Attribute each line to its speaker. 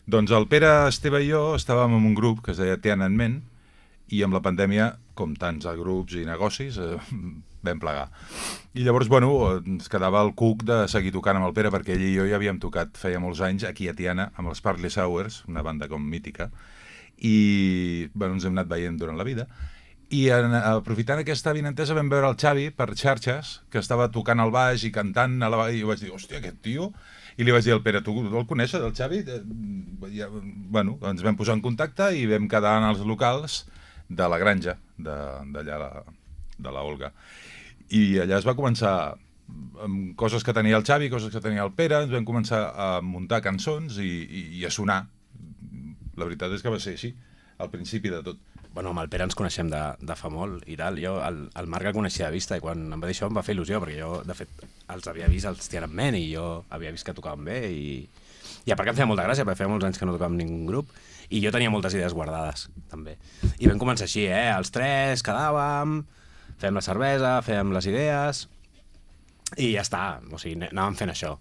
Speaker 1: Doncs el Pere, Esteve i jo estàvem en un grup que es deia Tiananmen i amb la pandèmia, com tants grups i negocis, vam plegar. I llavors, bueno, ens quedava el cuc de seguir tocant amb el Pere perquè ell i jo ja havíem tocat feia molts anys aquí a Tiana amb els Sparkless Hours, una banda com mítica, i bueno, ens hem anat veient durant la vida. I aprofitant aquesta avinentesa vam veure el Xavi per xarxes, que estava tocant al baix i cantant a la i jo vaig dir, hòstia, aquest tio... I li vaig dir al Pere, tu el coneixes, el Xavi? Ja, bueno, ens vam posar en contacte i vam quedar en els locals de la granja, d'allà de la Olga. I allà es va començar amb coses que tenia el Xavi, coses que tenia el Pere, ens vam començar a muntar cançons i a sonar. La veritat és que va ser així, al principi de tot.
Speaker 2: Bueno, amb el Pere ens coneixem de fa molt i tal. Jo el Marc el coneixia de vista i quan em va dir això em va fer il·lusió perquè jo, de fet, els havia vist als Tiananmen i jo havia vist que tocaven bé i a part que em feia molta gràcia perquè feia molts anys que no tocàvem ningú grup i jo tenia moltes idees guardades, també. I vam començar així, els tres quedàvem, fèiem la cervesa, fèiem les idees i ja està, o sigui, anàvem fent això.